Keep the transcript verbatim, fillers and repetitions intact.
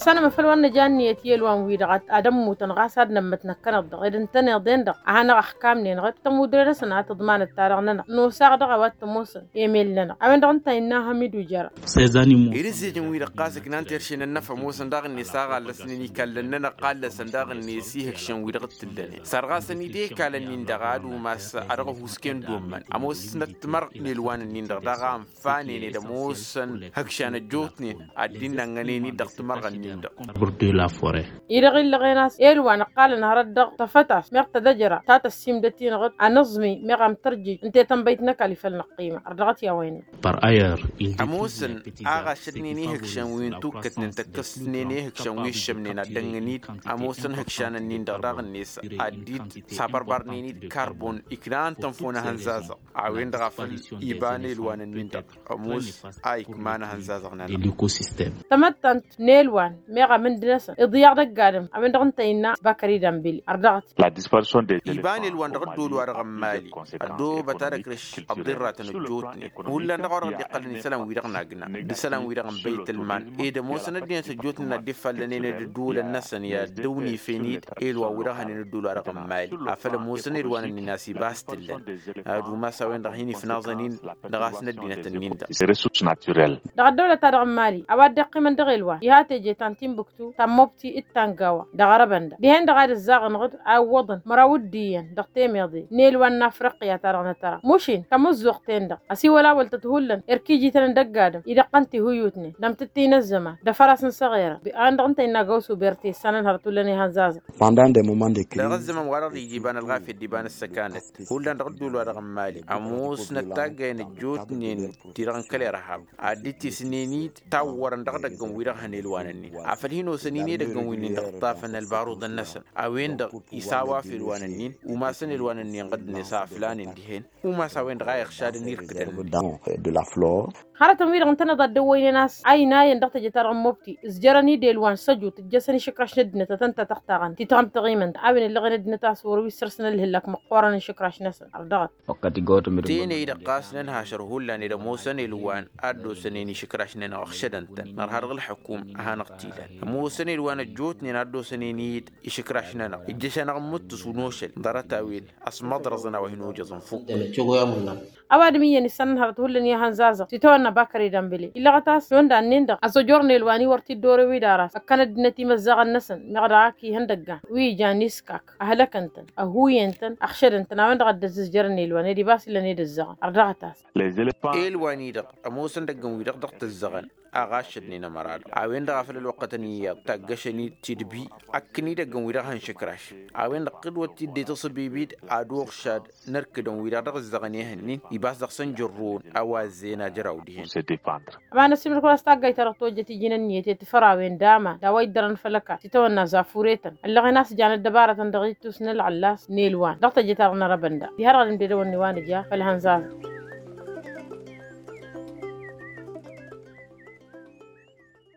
Sănăm făl wa n-nǝja ǝnniyăt i-ălwan-wi-dăɣ ad-ămmutăn ɣas ad-nămmăt năkkăneḍ-dăɣ ed ǝntăneḍ-en-dăɣ a hanăɣ-ăxkamnen ɣǝd tămudre-năsăn a tǝḍmanăt-ta-dăɣ-nănăɣ nosăɣ dăɣ-a-wa t-ămoosăn emel-nănăɣ a-wen-dăɣ ǝnta innă hamidu jăra. Ed ǝzzejăn-wi-dăɣ ɣas ǝknan terše n-ănnăf ămoosăn daɣ-net a ɣallăsnen ikallăn-nănăɣ ɣallăsăn daɣ-net ihǝkšăn-wi-dăɣ t-tǝllănen sărɣasăn-dd i-ikalăn-in-dăɣ ad-umas a dăɣ-ăhusken d-ommăn ămoosnăt timărɣ n-elwan-ǝnnin-dăɣ daɣ a ǝnfanen ed ămoosăn ihǝkšan ăjjootnen ad-dd-innănnănen-dd dăɣ-timărɣa-nin-dăɣ. Arbăr de la forêt. I-dăɣ illăɣen a-s elwan ǝqqalăn hărăt dăɣ-tafăt a-s meɣ tădăjăra ta tăssiimdăt-in-dăɣ ănǝẓmi meɣ amtărjij ǝnta i-tănbăyt n-ăkall făll-năqqima ărdăɣăt i-a-wa innă. Par ayer ămoosăn a ɣašădnen ihǝkšan wi n-tukkătnen tăkkăsnen ihǝkšan wi ǝššămnen ad-dăŋ-ǝnid ămoosăn ihǝkšan-ǝnnin-dăɣ daɣ-net ad-dd-sabărbarnen-dd karbon iknan tănfon ehăn zazăɣ a-wen-dăɣ a făl iba n-elwan-ǝnnin-dăɣ ămoos a ikma n-ehăn zazăɣ-nănăɣ. Tamăttant n-elwan meɣ amǝnd-năsăn iḍyaɣ dăgg-adǝm a-wen-dăɣ ǝnta innă bakări dambili ărdăɣăt. Iba n-elwan dăɣ-ăddool-wa-dăɣ n-imali ăddoobăt ad-ăkrǝš ăḍḍirratăn ăjjootnen hullan dăɣ-orăɣ dd-iqqălăn isălan-wi-dăɣ n-agna d-isălan-wi-dăɣ n-băytălman ed ămoosăn ăddinăt ăjjootnen ad-dd-ifallănen ed ădduulăn-năsăn i-ad-dd-ăwnifen-dd elwa-wi-dăɣ hănen ăddool-wa-dăɣ n-imali a făl ămoosăn elwan-ǝnnin a-s iba a-s t-ǝllăn ad-umas a-wen-dăɣ hin-ifnaẓăn-in dăɣ-a-s n-ăddinăt-ǝnnin-dăɣ. Dăɣ-ăddăwlăt-ta-dăɣ n-imali a-wa dd-iqqimăn dăɣ-elwan iha teje ta n-timbuktu ta n-mobti d-ta n-gawa dăɣ-arăbăn-dăɣ dihen-dăɣ ad-ǝzzaɣ ǝnɣǝd a ǝwwăḍăn măraw d-iyyăn dăɣ-temeḍe n-elwan n-afriqya-ta-dăɣ n-atăra mušin tamǝzzuɣt-ten-dăɣ ăsiwăl a wăltăt hullan erk ijităn n-dăgg-adǝm idăqqăn tihuyutnen d-amtǝttǝy n-ăzzăman d-afăras n-săɣerăn a-wen-dăɣ ǝnta innă gawsu berte issanăn hărăt hullan ihăn zazăɣ. Dăɣ-ăzzăman wa-dăɣ dd-iba n-ălɣafyăt d-iba n-ăssăkanăt hullan dăɣ-ădduul-wa-dăɣ n-imali ămoosnăt taggayăn ăjjootnen ti-dăɣ n-kăl-irhab ad-dd-tisnen-dd tawwărăn dăɣ-idăggăn-wi-dăɣ hănelwanăn-in afăl hin-osăn-in edăggăn-win-in-dăɣ ǝṭṭafăn ălbaruḍăn-năsăn a-wen-dăɣ isawaf elwanăn-in umasăn elwanăn-in ɣǝdnet a ăflanen dihen umas a-wen-dăɣ a iɣšadăn irkǝdăn. Hărătăn-wi-dăɣ ǝntăneḍ ad-dd-ăwwăynen a-s a inayăn dăɣ-teje-ta-dăɣ n-mobti ǝzjărăn-dd elwan săjut ǝjjăsăn išǝkraš n-ăddinăt ad-tăn-tătăxtaɣăn ti-tăɣmtăɣimăn a-wen ǝllăɣen ăddinăt a-s wăr-wi săr-săn ălhǝllak măqqoorăn n-išǝkraš-năsăn ărdăɣăt. Tenăy-dăɣ ɣas nănhašăr hullan ed ămoosăn elwan ad-dd-osănen išǝkraš-nănăɣ ăɣšădăn-tăn nărha dăɣ-ǝlḥǝkum a hanăɣ-t-ilan ămoosăn elwan ăjjootnen ad-dd-osănen-dd išǝkraš-nănăɣ ǝjjăš-anăɣ n-imǝttǝs unošăl ḍarăt-a-wen ăsmăḍrăẓăn a-wa hin-ojăẓ ǝnfukk. Ăwadǝm iyyăn issan n-hărăt hullan i-ihănzazăɣ s-itawănna bakări dambǝle illăɣăt a-s i-wăndan-nin-dăɣ ăẓojorăn elwan-i wăr t-dd-orăw-dd ara s-ăkkăn ăddinăt imăzzaɣăn-năsăn meɣ dăɣ-ak ihăndăggan wi ijan iskak ăhlăkăn-tăn ăhuyen-tăn ăɣšădăn-tăn a-wen-dăɣ a dd-ăzzǝzjărăn elwan ed ibas illăn ed ǝzzăɣăn ărdăɣăt-as. Elwan-i-dăɣ ămoosăn idăggăn-wi-dăɣ dăɣ-tǝzzăɣăn a ɣaššădnen ămăra-dăɣ a-wen-dăɣ a făl ălwăqqătăn iyyăḍ taggăšăn-dd tidbi ăkkăn idăggăn-wi-dăɣ hăn išǝkraš a-wen-dăɣ ɣǝd wăr t-dd-itasǝbibid ad-uɣšad n-ărkǝdăn-wi-dăɣ dăɣ-ǝzzăɣăn ehăn-in ibas dăɣ-săn jărrǝwăn a-wa ăzzeyăn ajăraw dihen. Ămanăssimnăt kăwăn-as taggayt-ta-dăɣ tojjăt iji n-ǝnniyăt i-tifărawen d-aman d-a-wa iddărăn făll-ăkall s-itawănna zafure-tăn ăllăɣen a-s jan ăddăbarătăn dăɣ-ittus n-ǝlɣăllas n-elwan dăɣ-teje-ta-dăɣ n-arăbăn da diha-dăɣ ad-ǝmdedăwăn n-iwanǝja făll-hănzazăɣ.